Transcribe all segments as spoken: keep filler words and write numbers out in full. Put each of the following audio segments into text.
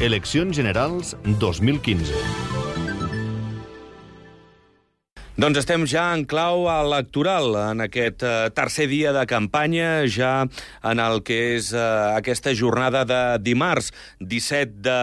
Eleccions Generals dos mil quinze. Doncs estem ja en clau electoral, en aquest eh, tercer dia de campanya, ja en el que és eh, aquesta jornada de dimarts, disset de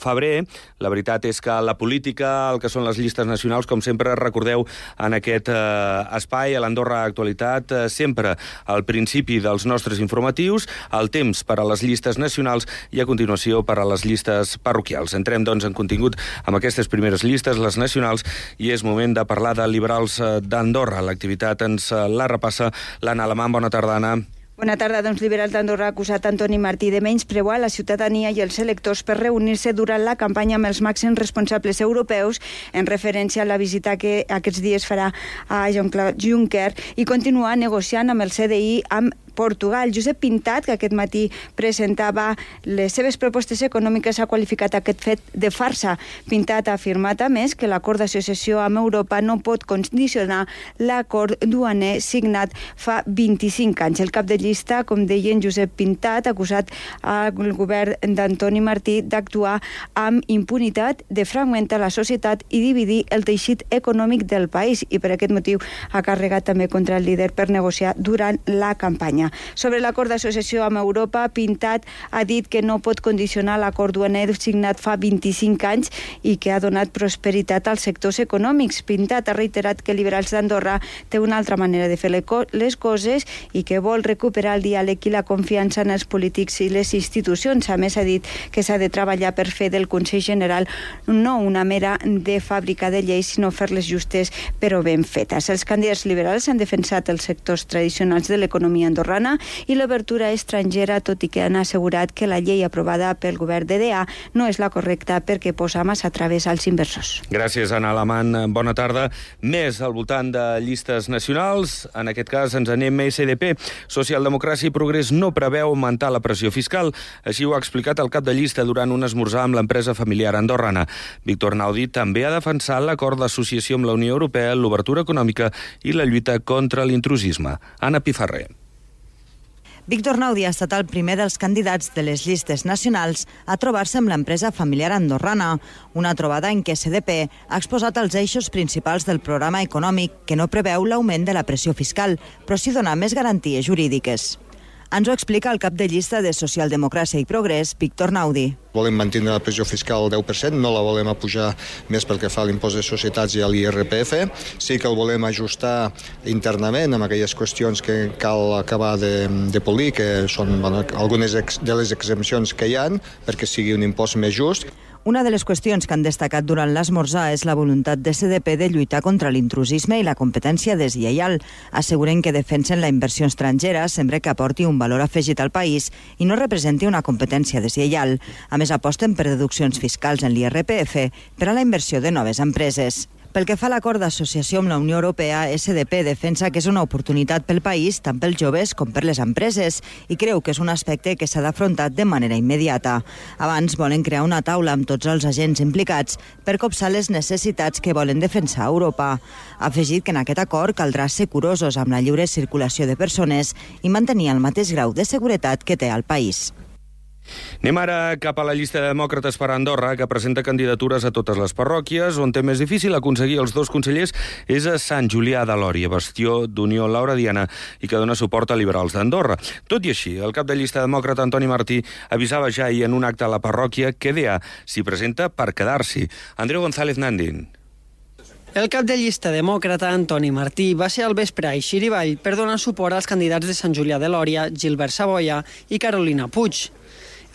febrer. La veritat és que la política, el que són les llistes nacionals, com sempre recordeu en aquest eh, espai, a l'Andorra Actualitat, eh, sempre al principi dels nostres informatius, el temps per a les llistes nacionals i a continuació per a les llistes parroquials. Entrem, doncs, en contingut amb aquestes primeres llistes, les nacionals, i és moment de parlar de Liberals d'Andorra. L'activitat ens la repassa l'Anna Alemany. Bona tarda, Anna. Bona tarda. Doncs Liberals d'Andorra ha acusat Antoni Martí de menysprear la ciutadania i els electors per reunir-se durant la campanya amb els màxims responsables europeus, en referència a la visita que aquests dies farà a Jean-Claude Juncker, i continuar negociant amb el C D I amb Portugal. Josep Pintat, que aquest matí presentava les seves propostes econòmiques, ha qualificat aquest fet de farsa. Pintat ha afirmat, a més, que l'acord d'associació amb Europa no pot condicionar l'acord duaner signat fa vint-i-cinc anys. El cap de llista, com deien, Josep Pintat, ha acusat al govern d'Antoni Martí d'actuar amb impunitat, de fragmentar la societat i dividir el teixit econòmic del país, i per aquest motiu ha carregat també contra el líder per negociar durant la campanya. Sobre l'acord d'associació amb Europa, Pintat ha dit que no pot condicionar l'acord duaner signat fa vint-i-cinc anys i que ha donat prosperitat als sectors econòmics. Pintat ha reiterat que Liberals d'Andorra té una altra manera de fer les coses i que vol recuperar el diàleg i la confiança en els polítics i les institucions. A més, ha dit que s'ha de treballar per fer del Consell General no una mera de fàbrica de lleis, sinó fer-les justes però ben fetes. Els candidats liberals han defensat els sectors tradicionals de l'economia andorrana i l'obertura estrangera, tot i que han assegurat que la llei aprovada pel govern de D A no és la correcta perquè posa massa traves als inversors. Gràcies, Anna Alemany. Bona tarda. Més al voltant de llistes nacionals. En aquest cas ens anem a S D P. Socialdemocràcia i Progrés no preveu augmentar la pressió fiscal. Així ho ha explicat el cap de llista durant un esmorzar amb l'empresa familiar andorrana. Víctor Naudi també ha defensat l'acord d'associació amb la Unió Europea, l'obertura econòmica i la lluita contra l'intrusisme. Anna Pifarré. Víctor Naudi ha estat el primer dels candidats de les llistes nacionals a trobar-se amb l'empresa familiar andorrana, una trobada en què S D P ha exposat els eixos principals del programa econòmic, que no preveu l'augment de la pressió fiscal, però sí donar més garanties jurídiques. Ens ho explica el cap de llista de Socialdemocràcia i Progrés, Víctor Naudi. Volem mantenir la pressió fiscal al deu per cent, no la volem apujar més pel que fa a l'impost de societats i a l'I R P F. Sí que el volem ajustar internament amb aquelles qüestions que cal acabar de, de polir, que són bueno, algunes de les exempcions que hi ha, perquè sigui un impost més just. Una de les qüestions que han destacat durant l'esmorzar és la voluntat de S D P de lluitar contra l'intrusisme i la competència deslleial. Asseguren que defensen la inversió estrangera sempre que aporti un valor afegit al país i no representi una competència deslleial. A més, aposten per deduccions fiscals en l'I R P F per a la inversió de noves empreses. Pel que fa a l'acord d'associació amb la Unió Europea, S D P defensa que és una oportunitat pel país, tant pels joves com per les empreses, i creu que és un aspecte que s'ha d'afrontar de manera immediata. Abans volen crear una taula amb tots els agents implicats per copsar les necessitats que volen defensar a Europa. Ha afegit que en aquest acord caldrà ser curosos amb la lliure circulació de persones i mantenir el mateix grau de seguretat que té al país. Anem ara cap a la llista de demòcrates per a Andorra, que presenta candidatures a totes les parròquies. On té més difícil aconseguir els dos consellers és a Sant Julià de Lòria, bastió d'Unió Lauradiana i que dona suport a Liberals d'Andorra. Tot i així, el cap de llista demòcrata Antoni Martí avisava ja ahir en un acte a la parròquia que D A s'hi presenta per quedar-s'hi. Andreu González Nandin. El cap de llista demòcrata Antoni Martí va ser al vespre a Xirivall per donar suport als candidats de Sant Julià de Lòria, Gilbert Saboia i Carolina Puig.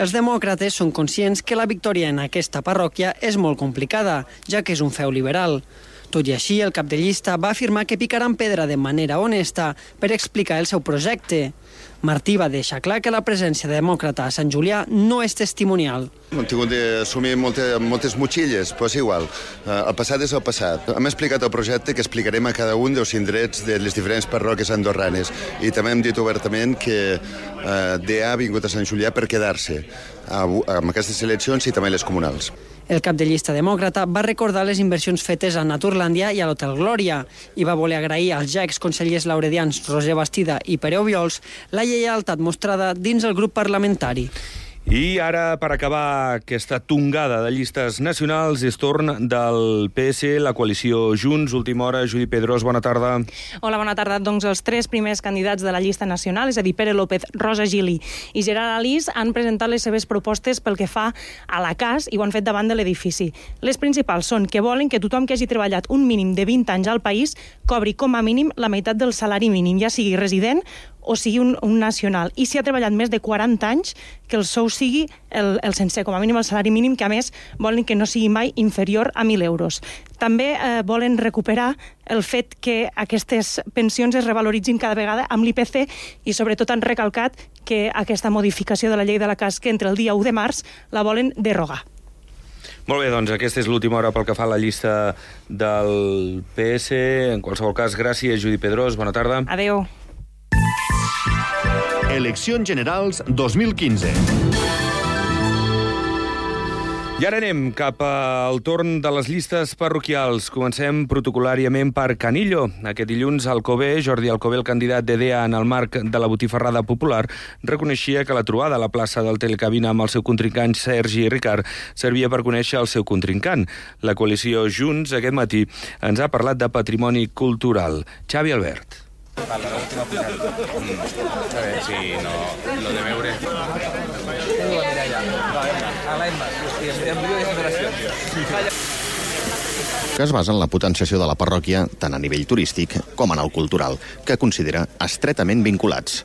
Els demòcrates són conscients que la victòria en aquesta parròquia és molt complicada, ja que és un feu liberal. Tot i així, el cap de llista va afirmar que picaran pedra de manera honesta per explicar el seu projecte. Martí va deixar clar que la presència demòcrata a Sant Julià no és testimonial. Hem tingut d'assumir moltes, moltes motxilles, però és igual. El passat és el passat. Hem explicat el projecte que explicarem a cada un dels indrets de les diferents parròquies andorranes i també hem dit obertament que eh, D A ha vingut a Sant Julià per quedar-se amb aquestes eleccions i també les comunals. El cap de llista demòcrata va recordar les inversions fetes a Naturlàndia i a l'Hotel Glòria i va voler agrair als ja exconsellers lauredians Roser Bastida i Pere Obiols la lleialtat mostrada dins el grup parlamentari. I ara, per acabar aquesta tongada de llistes nacionals, és torn del P S, la coalició Junts. Última hora, Judit Pedrós, bona tarda. Hola, bona tarda. Doncs els tres primers candidats de la llista nacional, és a dir, Pere López, Rosa Gili i Gerard Alís, han presentat les seves propostes pel que fa a la cas i ho han fet davant de l'edifici. Les principals són que volen que tothom que hagi treballat un mínim de vint anys al país cobri com a mínim la meitat del salari mínim, ja sigui resident o sigui un, un nacional. I si ha treballat més de quaranta anys, que el sou sigui el, el sencer, com a mínim el salari mínim, que a més volen que no sigui mai inferior a mil euros. També eh, volen recuperar el fet que aquestes pensions es revaloritzin cada vegada amb l'I P C i sobretot han recalcat que aquesta modificació de la llei de la C A S, que entre el dia u de març la volen derogar. Molt bé, doncs aquesta és l'última hora pel que fa a la llista del P S. En qualsevol cas, gràcies, Judit Pedrós. Bona tarda. Adéu. Eleccions Generals dos mil quinze. I ara anem cap al torn de les llistes parroquials. Comencem protocolàriament per Canillo. Aquest dilluns, Alcover, Jordi Alcover, el candidat de D E A en el marc de la botifarrada popular, reconeixia que la trobada a la plaça del Telecabina amb el seu contrincant Sergi Ricard servia per conèixer el seu contrincant. La coalició Junts, aquest matí, ens ha parlat de patrimoni cultural. Xavi Albert. Vale, l'última posada. A veure si no... Lo de veure... A l'Emma, hòstia, em diu de generació. Que es basa en la potenciació de la parròquia tant a nivell turístic com en el cultural, que considera estretament vinculats.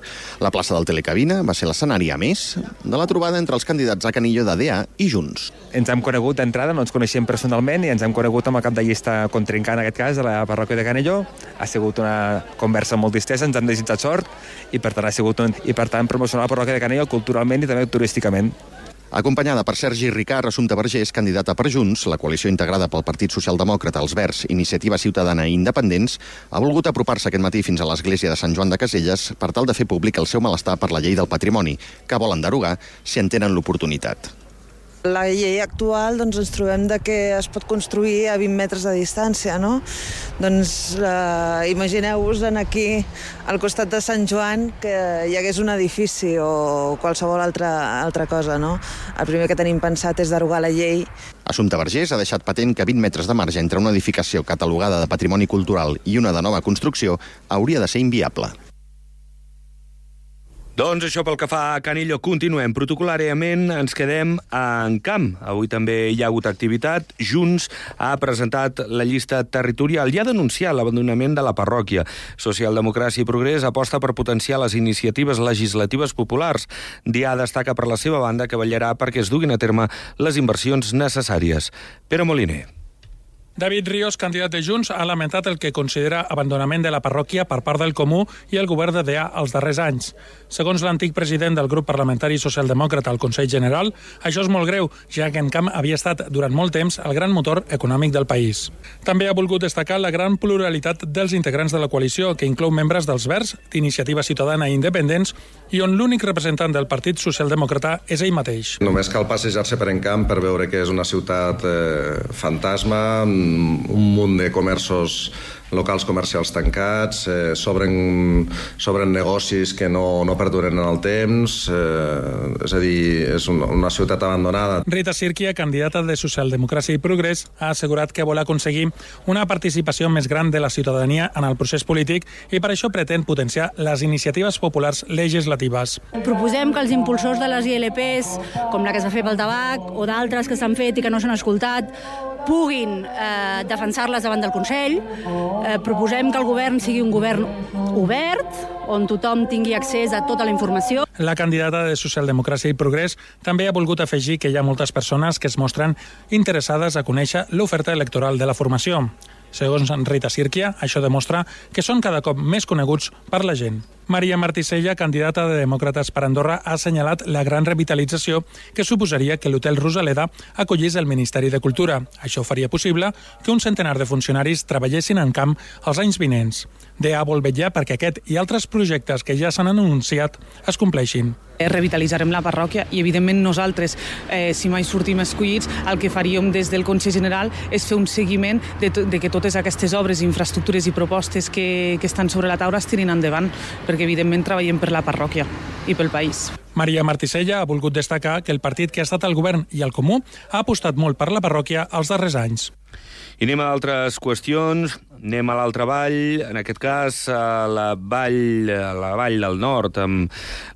La plaça del Telecabina va ser l'escenari, a més, de la trobada entre els candidats a Canillo de D E A i Junts. Ens hem conegut d'entrada, no ens coneixíem personalment i ens hem conegut amb el cap de llista contrincant, en aquest cas, de la parròquia de Canillo. Ha sigut una conversa molt distesa, ens han desitjat sort i per tant ha sigut un... i per tant promocionar la parròquia de Canillo culturalment i també turísticament. Acompanyada per Sergi Ricard, Assumpta Vergés, candidata per Junts, la coalició integrada pel Partit Socialdemòcrata, els Verds, Iniciativa Ciutadana i Independents, ha volgut apropar-se aquest matí fins a l'església de Sant Joan de Caselles per tal de fer públic el seu malestar per la llei del patrimoni, que volen derogar si en tenen l'oportunitat. La llei actual, doncs, ens trobem de que es pot construir a vint metres de distància, no? Doncs eh, imagineu-vos en aquí, al costat de Sant Joan, que hi hagués un edifici o qualsevol altra, altra cosa, no? El primer que tenim pensat és derogar la llei. Assumpta Vergés ha deixat patent que vint metres de marge entre una edificació catalogada de patrimoni cultural i una de nova construcció hauria de ser inviable. Doncs això pel que fa a Canillo. Continuem. Protocolàriament ens quedem en camp. Avui també hi ha hagut activitat. Junts ha presentat la llista territorial i ha denunciat l'abandonament de la parròquia. Socialdemocràcia i Progrés aposta per potenciar les iniciatives legislatives populars. D E A destaca per la seva banda que vetllarà perquè es duguin a terme les inversions necessàries. Pere Moliner. David Ríos, candidat de Junts, ha lamentat el que considera abandonament de la parròquia per part del Comú i el govern de D E A els darrers anys. Segons l'antic president del grup parlamentari socialdemòcrata al Consell General, això és molt greu, ja que en camp havia estat durant molt temps el gran motor econòmic del país. També ha volgut destacar la gran pluralitat dels integrants de la coalició, que inclou membres dels Verds, d'Iniciativa Ciutadana i Independents, i on l'únic representant del Partit Socialdemòcrata és ell mateix. Només cal passejar-se per Encamp per veure que és una ciutat eh, fantasma, un munt de comerços, locals comercials tancats, eh, s'obren s'obren negocis que no, no perduren en el temps, eh, és a dir, és una, una ciutat abandonada. Rita Sirkia, candidata de Socialdemocràcia i Progrés, ha assegurat que vol aconseguir una participació més gran de la ciutadania en el procés polític i per això pretén potenciar les iniciatives populars legislatives. Proposem que els impulsors de les I L Ps, com la que es va fer pel tabac o d'altres que s'han fet i que no s'han escoltat, puguin eh, defensar-les davant del Consell. Eh, proposem que el govern sigui un govern obert, on tothom tingui accés a tota la informació. La candidata de Socialdemocràcia i Progrés també ha volgut afegir que hi ha moltes persones que es mostren interessades a conèixer l'oferta electoral de la formació. Segons Rita Sirkia, això demostra que són cada cop més coneguts per la gent. Maria Martisella, candidata de Demòcrates per Andorra, ha assenyalat la gran revitalització que suposaria que l'Hotel Rosaleda acollís el Ministeri de Cultura. Això faria possible que un centenar de funcionaris treballessin en camp els anys vinents. D E A vol vetllar perquè aquest i altres projectes que ja s'han anunciat es compleixin. Revitalitzarem la parròquia i, evidentment, nosaltres, eh, si mai sortim escollits, el que faríem des del Consell General és fer un seguiment de, to de que totes aquestes obres, infraestructures i propostes que, que estan sobre la taula es tirin endavant, perquè, evidentment, treballem per la parròquia. i pel país. Maria Martisella ha volgut destacar que el partit que ha estat al govern i al Comú ha apostat molt per la parròquia els darrers anys. I anem a altres qüestions, anem a l'altra vall, en aquest cas a la vall, a la vall del nord, amb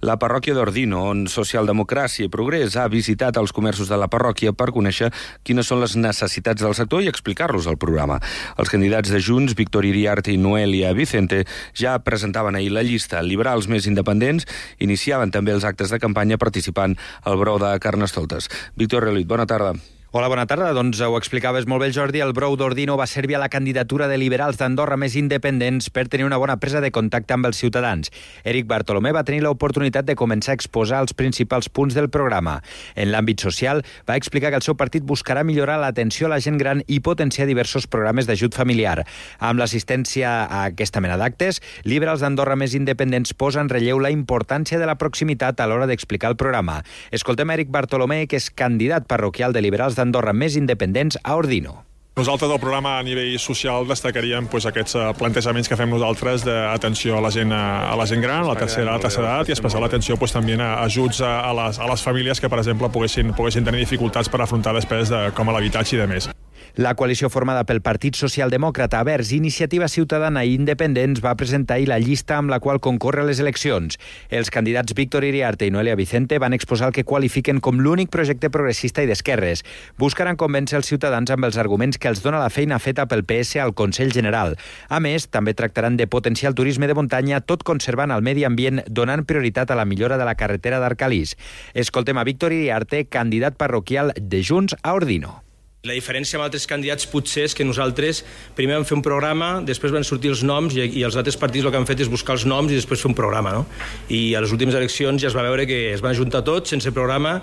la parròquia d'Ordino, on Socialdemocràcia i Progrés ha visitat els comerços de la parròquia per conèixer quines són les necessitats del sector i explicar-los al programa. Els candidats de Junts, Víctor Iriarte i Noelia Vicente, ja presentaven ahir la llista. Liberals més independents iniciaven també els actes de campanya participant al brou de Carnestoltes. Víctor Relit, bona tarda. Hola, bona tarda. Doncs ho explicaves molt bé, Jordi. El brou d'Ordino va servir a la candidatura de liberals d'Andorra més independents per tenir una bona presa de contacte amb els ciutadans. Eric Bartolomé va tenir l'oportunitat de començar a exposar els principals punts del programa. En l'àmbit social, va explicar que el seu partit buscarà millorar l'atenció a la gent gran i potenciar diversos programes d'ajut familiar. Amb l'assistència a aquesta mena d'actes, liberals d'Andorra més independents posa en relleu la importància de la proximitat a l'hora d'explicar el programa. Escoltem a Eric Bartolomé, que és candidat parroquial de liberals d'Andorra més independents a Ordino. Nosaltres del programa a nivell social destacaríem pues, aquests uh, plantejaments que fem nosaltres d'atenció a la gent a la gent gran, a la tercera, a la tercera edat, i especial atenció pues, també a ajuts a, a, les, a les famílies que, per exemple, poguessin, poguessin tenir dificultats per afrontar després de, com a l'habitatge i de més. La coalició formada pel Partit Socialdemòcrata, Verds, Iniciativa Ciutadana i Independents va presentar ahir la llista amb la qual concorre a les eleccions. Els candidats Víctor Iriarte i Noelia Vicente van exposar el que qualifiquen com l'únic projecte progressista i d'esquerres. Buscaran convèncer els ciutadans amb els arguments que els dona la feina feta pel P S al Consell General. A més, també tractaran de potenciar el turisme de muntanya, tot conservant el medi ambient, donant prioritat a la millora de la carretera d'Arcalís. Escoltem a Víctor Iriarte, candidat parroquial de Junts a Ordino. La diferència amb altres candidats potser és que nosaltres primer vam fer un programa, després van sortir els noms i, i els altres partits el que han fet és buscar els noms i després fer un programa, no? I a les últimes eleccions ja es va veure que es van ajuntar tots sense programa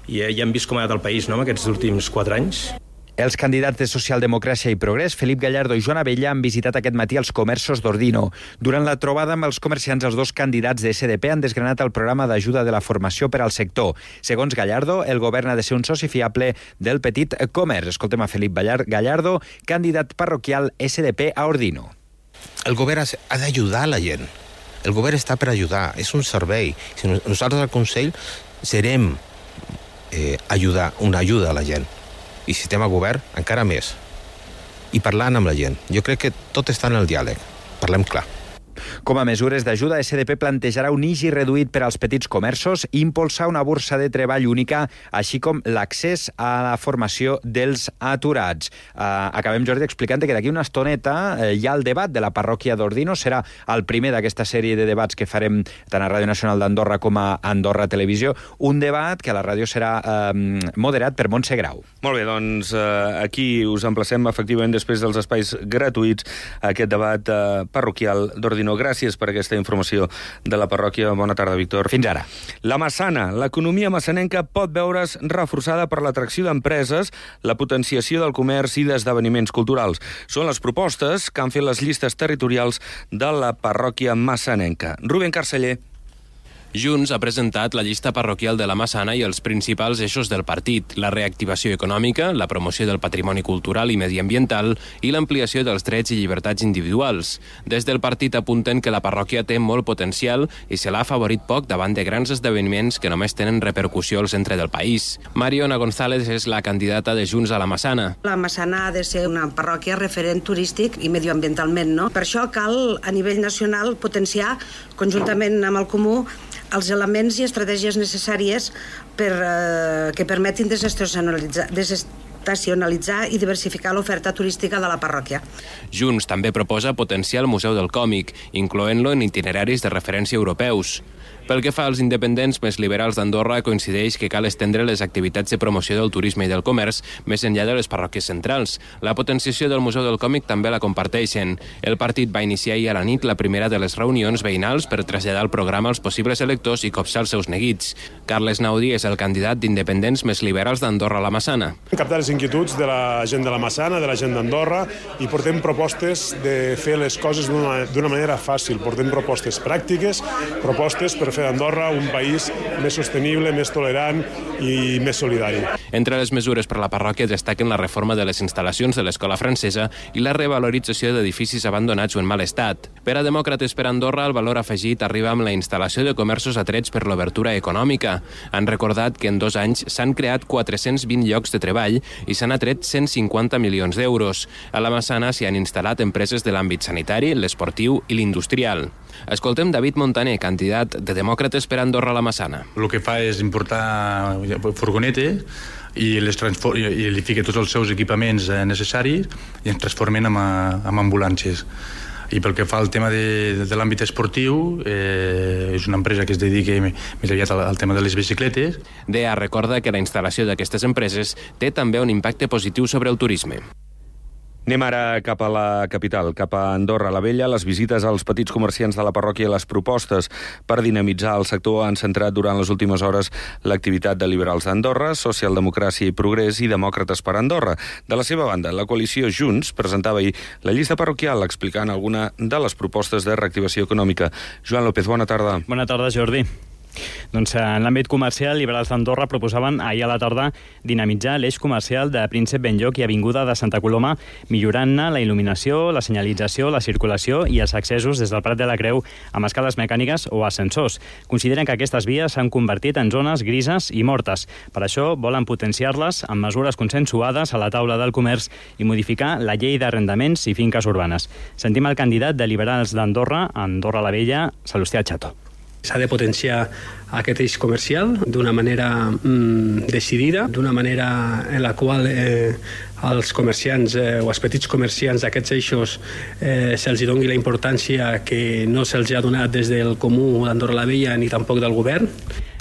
i ja hem vist com ha anat el país, no?, aquests últims quatre anys. Els candidats de Socialdemocràcia i Progrés, Felip Gallardo i Joan Abella, han visitat aquest matí els comerços d'Ordino. Durant la trobada amb els comerciants, els dos candidats de S D P han desgranat el programa d'ajuda de la formació per al sector. Segons Gallardo, el govern ha de ser un soci fiable del petit comerç. Escoltem a Felip Gallardo, candidat parroquial S D P a Ordino. El govern ha d'ajudar a la gent. El govern està per ajudar, és un servei. Si nosaltres al Consell serem eh, ajudar, una ajuda a la gent. I si estem a govern, encara més. I parlant amb la gent. Jo crec que tot està en el diàleg. Parlem clar. Com a mesures d'ajuda, S D P plantejarà un I G I reduït per als petits comerços i impulsar una borsa de treball única, així com l'accés a la formació dels aturats. Uh, acabem, Jordi, explicant que d'aquí una estoneta uh, hi ha el debat de la parròquia d'Ordino. Serà el primer d'aquesta sèrie de debats que farem tant a Ràdio Nacional d'Andorra com a Andorra Televisió. Un debat que a la ràdio serà uh, moderat per Montse Grau. Molt bé, doncs uh, aquí us emplacem efectivament després dels espais gratuïts a aquest debat uh, parroquial d'Ordino. Gràcies per aquesta informació de la parròquia. Bona tarda, Víctor. Fins ara. La Massana. L'economia massanenca pot veure's reforçada per l'atracció d'empreses, la potenciació del comerç i d'esdeveniments culturals. Són les propostes que han fet les llistes territorials de la parròquia massanenca. Rubén Carceller. Junts ha presentat la llista parroquial de la Massana i els principals eixos del partit, la reactivació econòmica, la promoció del patrimoni cultural i mediambiental i l'ampliació dels drets i llibertats individuals. Des del partit apunten que la parròquia té molt potencial i se l'ha afavorit poc davant de grans esdeveniments que només tenen repercussió al centre del país. Mariona González és la candidata de Junts a la Massana. La Massana ha de ser una parròquia referent turístic i medioambientalment, no? Per això cal, a nivell nacional, potenciar, conjuntament amb el Comú, els elements i estratègies necessàries per, eh, que permetin desestacionalitzar, desestacionalitzar i diversificar l'oferta turística de la parròquia. Junts també proposa potenciar el Museu del Còmic, incloent-lo en itineraris de referència europeus. Pel que fa als independents més liberals d'Andorra, coincideix que cal estendre les activitats de promoció del turisme i del comerç més enllà de les parròquies centrals. La potenciació del Museu del Còmic també la comparteixen. El partit va iniciar ahir a la nit la primera de les reunions veïnals per traslladar el programa als possibles electors i copsar els seus neguits. Carles Naudi és el candidat d'independents més liberals d'Andorra a la Massana. Captar els inquietuds de la gent de la Massana, de la gent d'Andorra, i portem propostes de fer les coses d'una manera fàcil. Portem propostes pràctiques, propostes per fer d'Andorra un país més sostenible, més tolerant i més solidari. Entre les mesures per la parròquia destaquen la reforma de les instal·lacions de l'escola francesa i la revalorització d'edificis abandonats o en mal estat. Per a Demòcrates per Andorra, el valor afegit arriba amb la instal·lació de comerços atrets per l'obertura econòmica. Han recordat que en dos anys s'han creat quatre-cents vint llocs de treball i s'han atret cent cinquanta milions d'euros. A la Massana s'hi han instal·lat empreses de l'àmbit sanitari, l'esportiu i l'industrial. Escoltem David Montaner, candidat de Demòcrates per Andorra a la Massana. El que fa és importar furgonetes i, les i li fica tots els seus equipaments necessaris i ens transformen en, en ambulàncies. I pel que fa al tema de, de l'àmbit esportiu, eh, és una empresa que es dedica més aviat al, al tema de les bicicletes. D E A recorda que la instal·lació d'aquestes empreses té també un impacte positiu sobre el turisme. Anem ara cap a la capital, cap a Andorra la Vella. Les visites als petits comerciants de la parròquia i les propostes per dinamitzar el sector han centrat durant les últimes hores l'activitat de Liberals d'Andorra, Socialdemocràcia i Progrés i Demòcrates per Andorra. De la seva banda, la coalició Junts presentava ahir la llista parroquial explicant alguna de les propostes de reactivació econòmica. Joan López, bona tarda. Bona tarda, Jordi. Doncs en l'àmbit comercial, Liberals d'Andorra proposaven ahir a la tarda dinamitzar l'eix comercial de Príncep Benlloc i Avinguda de Santa Coloma, millorant-ne la il·luminació, la senyalització, la circulació i els accessos des del Prat de la Creu amb escales mecàniques o ascensors. Consideren que aquestes vies s'han convertit en zones grises i mortes. Per això volen potenciar-les amb mesures consensuades a la taula del comerç i modificar la llei d'arrendaments i finques urbanes. Sentim el candidat de Liberals d'Andorra, Andorra la Vella, Salustià Chato. S'ha de potenciar aquest eix comercial d'una manera mm, decidida, d'una manera en la qual eh, als comerciants eh, o als petits comerciants d'aquests eixos eh, se'ls doni la importància que no se'ls ha donat des del Comú d'Andorra la Vella ni tampoc del govern.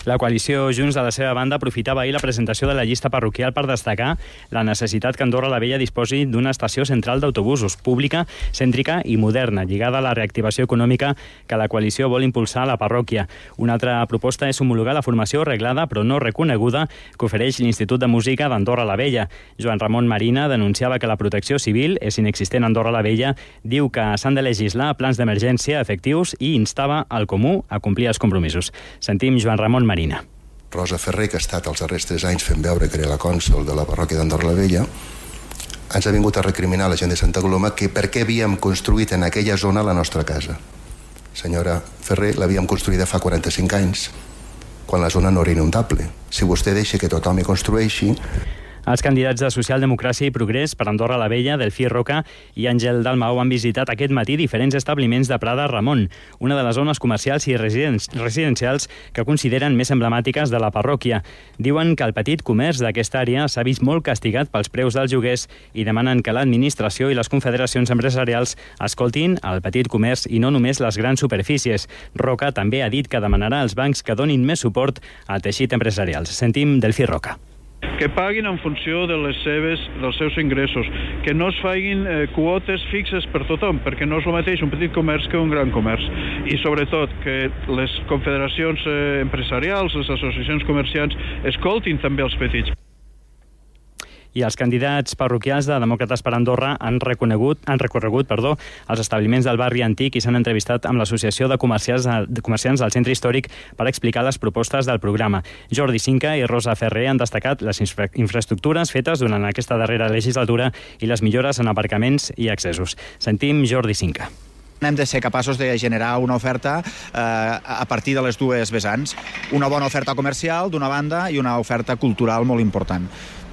La coalició Junts, de la seva banda, aprofitava ahir la presentació de la llista parroquial per destacar la necessitat que Andorra la Vella disposi d'una estació central d'autobusos pública, cèntrica i moderna, lligada a la reactivació econòmica que la coalició vol impulsar a la parròquia. Una altra proposta és homologar la formació reglada però no reconeguda que ofereix l'Institut de Música d'Andorra la Vella. Joan Ramon Marina denunciava que la protecció civil és inexistent a Andorra la Vella, diu que s'han de legislar plans d'emergència efectius i instava al Comú a complir els compromisos. Sentim Joan Ramon Marina. Rosa Ferrer, que ha estat els darrers tres anys fent veure que era la cònsol de la parròquia d'Andorra la Vella, ens ha vingut a recriminar a la gent de Santa Coloma que per què havíem construït en aquella zona la nostra casa. Senyora Ferrer, l'havíem construïda fa quaranta-cinc anys, quan la zona no era inundable. Si vostè deixa que tothom hi construeixi... Els candidats de Socialdemocràcia i Progrés per Andorra la Vella, Delfí Roca i Àngel Dalmau han visitat aquest matí diferents establiments de Prada Ramon, una de les zones comercials i residencials que consideren més emblemàtiques de la parròquia. Diuen que el petit comerç d'aquesta àrea s'ha vist molt castigat pels preus dels lloguers i demanen que l'administració i les confederacions empresarials escoltin el petit comerç i no només les grans superfícies. Roca també ha dit que demanarà als bancs que donin més suport al teixit empresarial. Sentim Delfí Roca. Que paguin en funció de les seves, dels seus ingressos, que no es facin eh, quotes fixes per tothom, perquè no és el mateix un petit comerç que un gran comerç. I sobretot que les confederacions eh, empresarials, les associacions comerciants, escoltin també els petits. I els candidats parroquials de Demòcrates per Andorra han reconegut, han recorregut perdó, els establiments del barri antic i s'han entrevistat amb l'Associació de Comerciants, de Comerciants del Centre Històric per explicar les propostes del programa. Jordi Cinca i Rosa Ferrer han destacat les infra infraestructures fetes durant aquesta darrera legislatura i les millores en aparcaments i accessos. Sentim Jordi Cinca. Hem de ser capaços de generar una oferta eh, a partir de les dues vessants. Una bona oferta comercial, d'una banda, i una oferta cultural molt important.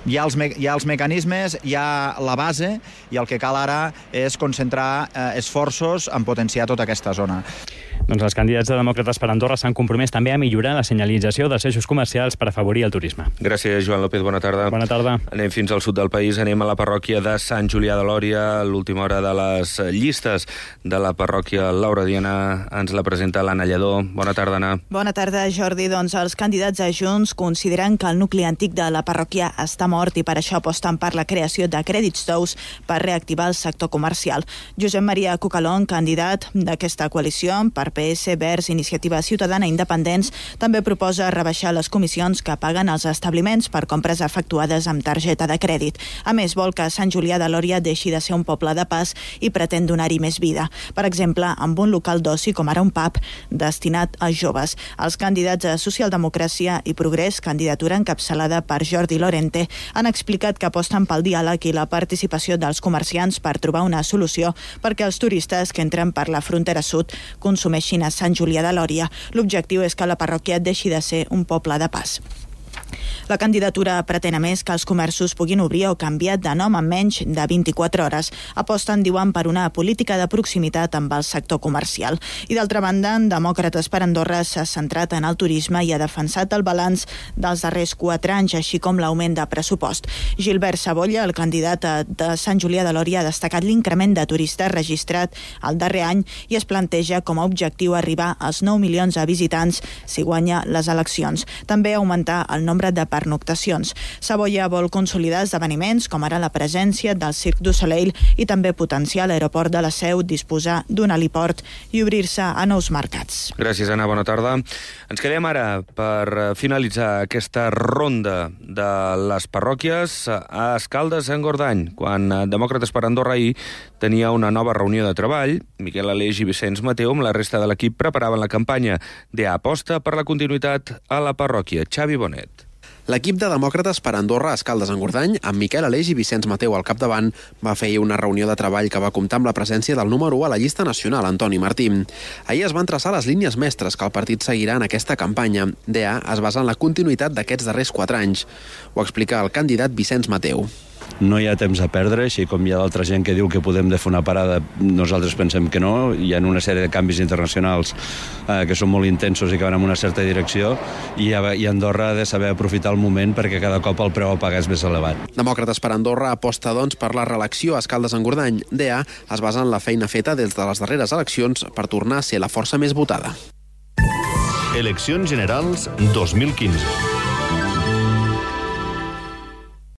Hi ha, els me hi ha els mecanismes, hi ha la base, i el que cal ara és concentrar eh, esforços en potenciar tota aquesta zona. Doncs els candidats de Demòcrates per Andorra s'han compromès també a millorar la senyalització dels eixos comercials per afavorir el turisme. Gràcies, Joan López. Bona tarda. Bona tarda. Anem fins al sud del país. Anem a la parròquia de Sant Julià de Lòria. L'última hora de les llistes de la parròquia Laura Diana ens la presenta l'Anna Lledó. Bona tarda, Anna. Bona tarda, Jordi. Doncs els candidats a Junts consideren que el nucli antic de la parròquia està mort i per això aposten per la creació de crèdits tous per reactivar el sector comercial. Josep Maria Cucalón, candidat d'aquesta coalició per P S, Verds, Iniciativa Ciutadana i Independents també proposa rebaixar les comissions que paguen els establiments per compres efectuades amb targeta de crèdit. A més, vol que Sant Julià de Lòria deixi de ser un poble de pas i pretén donar-hi més vida. Per exemple, amb un local d'oci com ara un pub destinat a joves. Els candidats a Socialdemocràcia i Progrés, candidatura encapçalada per Jordi Lorente, han explicat que aposten pel diàleg i la participació dels comerciants per trobar una solució perquè els turistes que entren per la frontera sud consumeixin a Sant Julià de Lòria. L'objectiu és que la parròquia deixi de ser un poble de pas. La candidatura pretén a més que els comerços puguin obrir o canviar de nom en menys de vint-i-quatre hores. Aposten, diuen, per una política de proximitat amb el sector comercial. I d'altra banda, Demòcrates per Andorra s'ha centrat en el turisme i ha defensat el balanç dels darrers quatre anys, així com l'augment de pressupost. Gilbert Sabolla, el candidat de Sant Julià de Lòria, ha destacat l'increment de turistes registrat el darrer any i es planteja com a objectiu arribar als nou milions de visitants si guanya les eleccions. També augmentar el nombre de pernoctacions. Sabolla vol consolidar esdeveniments com ara la presència del Cirque du Soleil i també potenciar l'aeroport de la Seu, disposar d'un heliport i obrir-se a nous mercats. Gràcies, Anna. Bona tarda. Ens quedem ara per finalitzar aquesta ronda de les parròquies a Escaldes-Engordany, quan Demòcrates per Andorra ahir tenia una nova reunió de treball. Miquel Aleix i Vicenç Mateu amb la resta de l'equip preparaven la campanya d'Aposta per la continuïtat a la parròquia. Xavi Bonet. L'equip de Demòcrates per Andorra a Escaldes-Engordany, amb Miquel Aleix i Vicenç Mateu al capdavant, va fer una reunió de treball que va comptar amb la presència del número u a la llista nacional, Antoni Martí. Ahir es van traçar les línies mestres que el partit seguirà en aquesta campanya. D A es basa en la continuïtat d'aquests darrers quatre anys. Ho explica el candidat Vicenç Mateu. No hi ha temps a perdre, així com hi ha d'altra gent que diu que podem de fer una parada, nosaltres pensem que no. Hi ha una sèrie de canvis internacionals eh, que són molt intensos i que van en una certa direcció, i, i Andorra ha de saber aprofitar el moment perquè cada cop el preu a pagar és més elevat. Demòcrates per Andorra aposta, doncs, per la reelecció a Escaldes-Engordany. D A es basa en la feina feta des de les darreres eleccions per tornar a ser la força més votada. Eleccions Generals dos mil quinze.